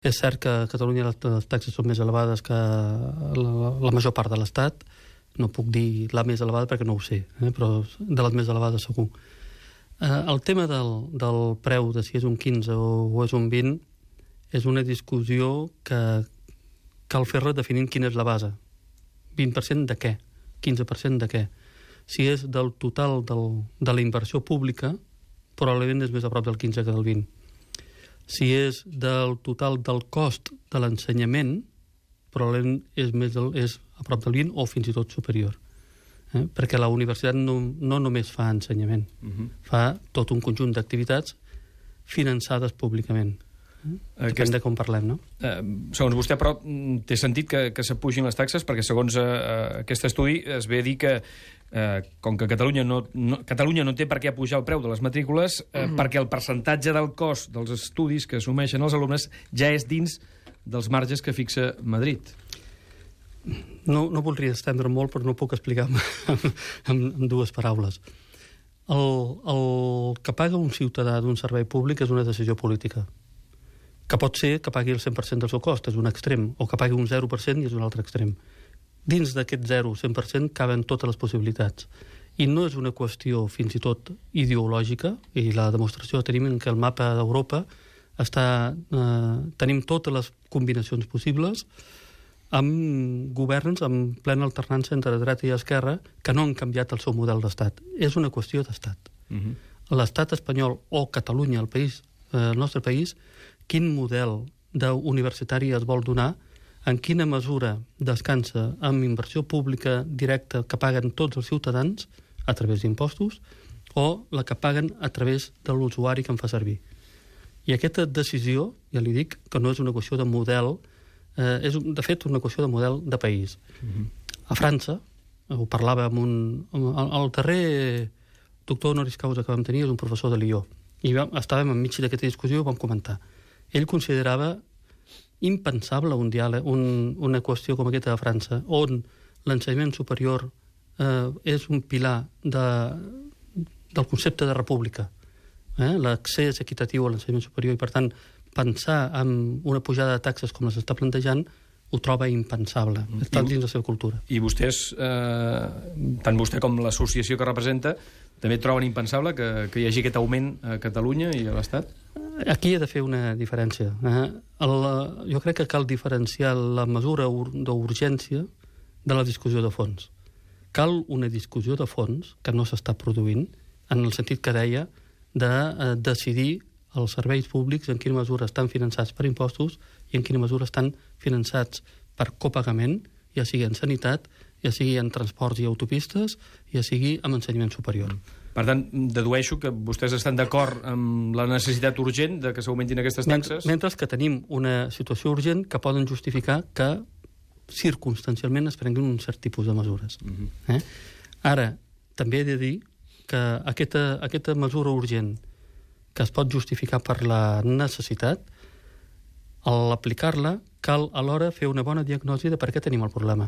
És cert que a Catalunya les taxes són més elevades que la major part de l'Estat. No puc dir la més elevada perquè no ho sé, però de les més elevades segur. El tema del preu, de si és un 15 o és un 20, és una discussió que cal fer-la definint quina és la base. 20% de què? 15% de què? Si és del total de la inversió pública, probablement és més a prop del 15 que del 20. Si és del total del cost de l'ensenyament, probablement és a prop del 20 o fins i tot superior. Perquè la universitat no només fa ensenyament, fa tot un conjunt d'activitats finançades públicament. Depèn de com parlem, no? Segons vostè, però, té sentit que s'apugin les taxes, perquè segons aquest estudi es ve a dir que com que Catalunya no té per què apujar el preu de les matrícules, perquè el percentatge del cost dels estudis que assumeixen els alumnes ja és dins dels marges que fixa Madrid. No voldria estendre molt, però no puc explicar amb dues paraules. El que paga un ciutadà d'un servei públic és una decisió política, que pot ser que pagui el 100% del seu cost, és un extrem, o que pagui un 0% i és un altre extrem. Dins d'aquest 0-100% caben totes les possibilitats. I no és una qüestió fins i tot ideològica, i la demostració tenim que el mapa d'Europa tenim totes les combinacions possibles, amb governs amb plena alternança entre dreta i esquerra que no han canviat el seu model d'estat. És una qüestió d'estat. L'estat espanyol o Catalunya, el nostre país, quin model universitari es vol donar, en quina mesura descansa amb inversió pública directa que paguen tots els ciutadans a través d'impostos o la que paguen a través de l'usuari que en fa servir. I aquesta decisió, ja li dic, que no és una qüestió de model, és de fet una qüestió de model de país. A França, ho parlava amb el darrer doctor honoris causa que vam tenir és un professor de Lió, i estàvem enmig d'aquesta discussió i ho vam comentar. Ell considerava impensable un diàleg, una qüestió com aquesta a França, on l'ensenyament superior és un pilar del concepte de república, l'accés equitatiu a l'ensenyament superior, i per tant pensar en una pujada de taxes com les està plantejant ho troba impensable, està dins la seva cultura. I vostès, tant vostè com l'associació que representa, també troben impensable que hi hagi aquest augment a Catalunya i a l'Estat? Aquí hi ha de fer una diferència. Jo crec que cal diferenciar la mesura d'urgència de la discussió de fons. Cal una discussió de fons que no s'està produint, en el sentit que deia de decidir els serveis públics en quina mesura estan finançats per impostos i en quina mesura estan finançats per copagament, ja sigui en sanitat, ja sigui en transports i autopistes, ja sigui en ensenyament superior. Per tant, dedueixo que vostès estan d'acord amb la necessitat urgent de que s'augmentin aquestes taxes? Mentre que tenim una situació urgent que poden justificar que circumstancialment es prenguin un cert tipus de mesures. Ara, també he de dir que aquesta mesura urgent que es pot justificar per la necessitat, al aplicar-la cal alhora fer una bona diagnosi de per què tenim el problema.